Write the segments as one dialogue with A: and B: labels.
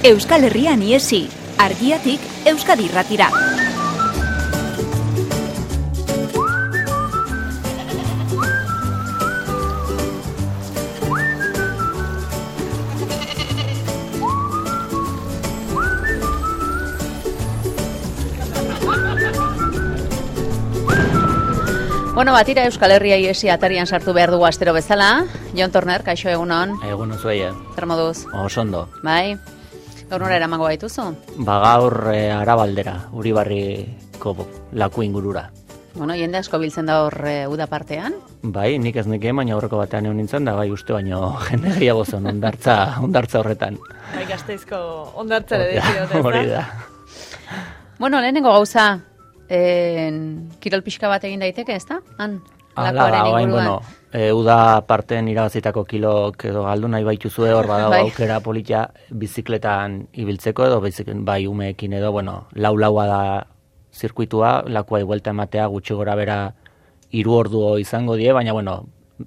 A: Euskal Herrian iesi, Argiatik Euskadi Irratira.
B: Bueno, batira Euskal Herria iesi atarian sartu behar dugu astero bezala. Jon Torner, kaixo egunon.
C: Egunon zuei.
B: Zer moduz?
C: Osondo.
B: Bai. Gaur nora eramango baituzu?
C: Gaur Arabaldera, Uribarriko laku ingurura.
B: Bueno, jende asko biltzen da hor uda partean.
C: Bai, nik ez nekeen, baina aurreko batean egon nintzen da, bai uste baino jende gehiago zen ondartza horretan.
D: Bai, Gasteizko ondartzare diziote, ez da?
C: Hori da.
B: Bueno, lehenengo gauza, kirol pixka bat egin daiteke, ez da? Han, lakoaren inguruan.
C: Uda parten irabazitako kilok edo galdu nahi baituzue hor badago
B: Bai.
C: aukera polita bizikletan ibiltzeko edo bai umeekin edo, laua da zirkuitua, lakuai buelta ematea gutxi gora bera 3 ordu izango die, baina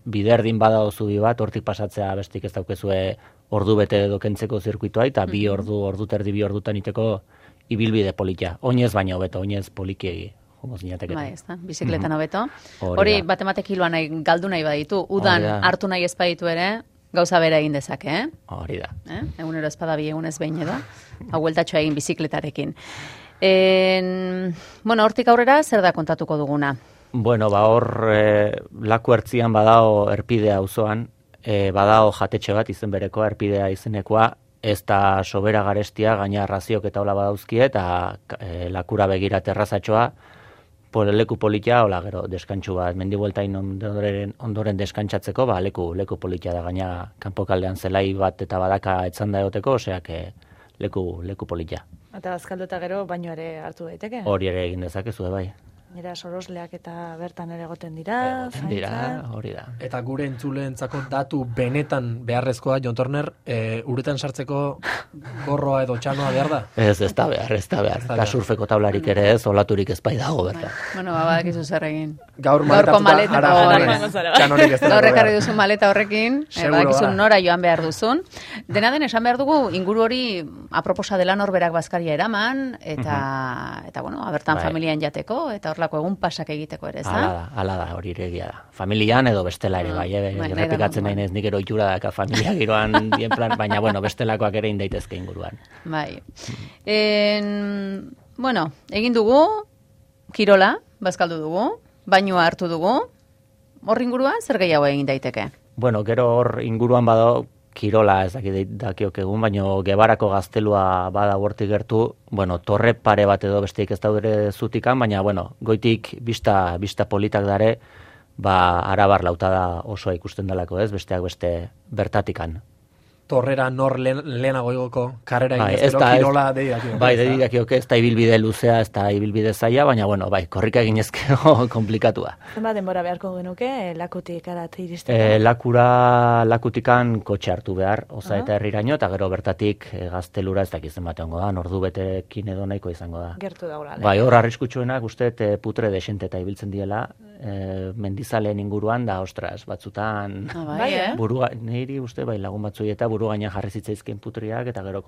C: biderdin badago zubi bat, hortik pasatzea bestik ez daukezue ordu bete edo kentzeko zirkuitua, eta 2 ordu terdi 2 ordutan iteko ibilbide polita. Oinez baina hobeto, oinez polikiegi.
B: Bai, ez da, bizikletan hobeto.
C: Hori
B: Hori,
C: da.
B: bat kiloa galdu nahi baditu, udan hartu nahi ez baditu ere, gauza bera egin dezake, eh?
C: Hori da.
B: Egunero espada bi egunez behin edo, bueltatxoa egin bizikletarekin. Hortik aurrera, zer da kontatuko duguna?
C: Hor laku ertzian badao erpidea auzoan, badao jatetxe bat izen bereko erpidea izenekoa, ez da sobera garestia, gaina raziok eta hola badauzkie, eta lakura begira terrazatxoa, leku politia, hola gero deskantxu bat, mendibueltain ondoren deskantxatzeko, leku politia da, gaina kanpokaldean zelai bat eta badaka etzan da egoteko, oseak leku politia.
D: Eta bazkaldu eta gero baino ere hartu daiteke?
C: Hori ere egin dezakezu, bai.
D: Nera sorosleak eta bertan ere egoten dira,
C: hori da.
E: Eta gure entzuleentzako datu benetan beharrezkoa, Jon Torner, uretan sartzeko gorroa edo txanoa behar da?
C: Ez da behar. Eta surfeko tablarik ere ez, olaturik ez bai dago berta.
B: Badakizu zer egin.
E: Gaur maletatuta txanorik ez da.
B: Gaur ekarri duzun maleta horrekin, badakizu nora joan behar duzun. Dena den esan behar dugu, inguru hori aproposa dela norberak bazkaria eraman, eta abertan familian jateko, eta horlako egun pasak egiteko ere, ez da?
C: Hala da, hori ere egia da. Familian edo bestela ere, bai, errepikatzen nahi nez nik ero itxura daka familia giroan dien plan, baina, bestelakoak ere indaitezke inguruan.
B: Bai. Egin dugu, kirola, bazkaldu dugu, bainua hartu dugu, hor inguruan zer gehiago egin daiteke?
C: Gero hor inguruan bado, kirola ez dakiok egun, baina Gebarako gaztelua bada hortik gertu, torre pare bat edo besteik ez daudere zutikan, baina, goitik bista politak dare, Arabar lautada osoa ikusten dalako ez, besteak beste bertatikan.
E: Torrera nor lehenago igoko karrera inezkero, kirola deidakiok.
C: Bai, deidakiok ez da ibilbide luzea, ez da ibilbide zaila, baina, korrika eginezkero komplikatua.
D: Zenbat denbora beharko genuke, lakutik arat iristeko?
C: Lakutikan kotxe hartu behar, oza eta herriraino, eta gero bertatik gaztelura ez dakizen batean da, ordu betekin edo nahiko izango da.
D: Gertu daula.
C: Bai, hor arriskutsuenak uste putre desente eta ibiltzen diela, mendizaleen inguruan da, ostras, batzutan niri uste lagun batzui eta buru gainean jarri zitzaizken putriak, eta gero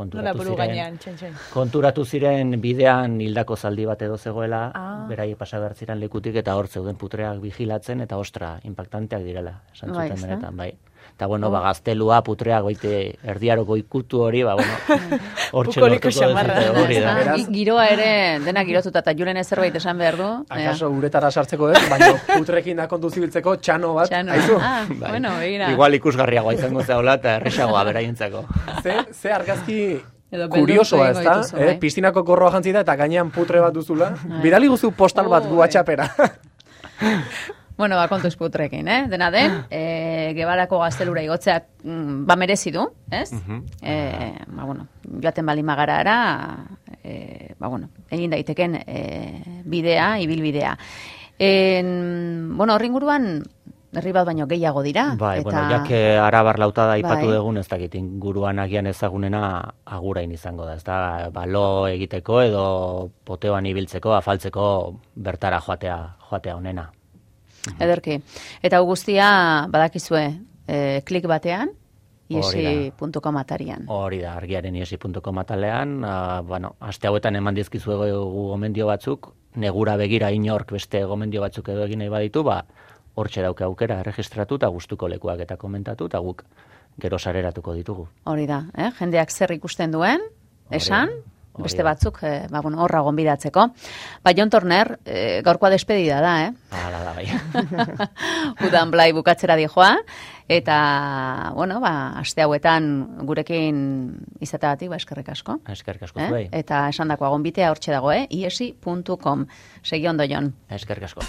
C: konturatu ziren bidean hildako zaldi bat edo zegoela, berai pasa behar ziren lekutik, eta hor zeuden putreak vigilatzen, eta ostra, impactanteak direla, esan zuten benetan, bai. Eta gaztelua, putreak, erdiaroko ikutu hori, hortxe lortuko
B: giroa ere, dena girotuta, eta julen zerbait esan behar du.
E: Akaso uretara sartzeko ez, baina putrekin da kontu zibiltzeko txano bat, haizu?
B: Begira.
C: Igual ikusgarriagoa izango zehola, eta erresagoa beraientzako.
E: Ze argazki kuriosoa ez da, piztinako gorroa jantzita eta gainean putre bat duzula. Bidali guzu postal bat gu WhatsAppera.
B: Kontuz putrekin, Dena den, Gebarako gaztelura igotzeak merezi du, ez? Joaten bali magara ara, egin daiteken bidea, ibilbidea. Horri inguruan, herri bat baino gehiago dira.
C: Jake Arabar lautada ipatu dugun, ez dakit inguruan agian ezagunena agurain izango da, ez da, balo egiteko edo poteoan ibiltzeko, afaltzeko bertara joatea honena.
B: Ederki. Eta guztia badakizue klik batean, iesi.com atarian.
C: Hori da, argiaren iesi.com atalean, bueno, aste hauetan eman dizkizu gomendio batzuk, negura begira inork beste gomendio batzuk edo egin nahi baditu, hortxe dauke aukera erregistratu eta gustuko lekuak eta komentatu, eta guk gero sareratuko ditugu.
B: Hori da, jendeak zer ikusten duen, esan, beste batzuk, horra gonbidatzeko. Jon Torner, gaurkoa despedida da,
C: Hala da, bai.
B: Udan blai bukatzera dijoa, eta, aste hauetan gurekin izateagatik, eskerrik asko.
C: Eskerrik asko zuei.
B: Eta esan dakoa gonbitea hortxe dago, iesi.com. Segi ondo, Jon.
C: Eskerrik asko.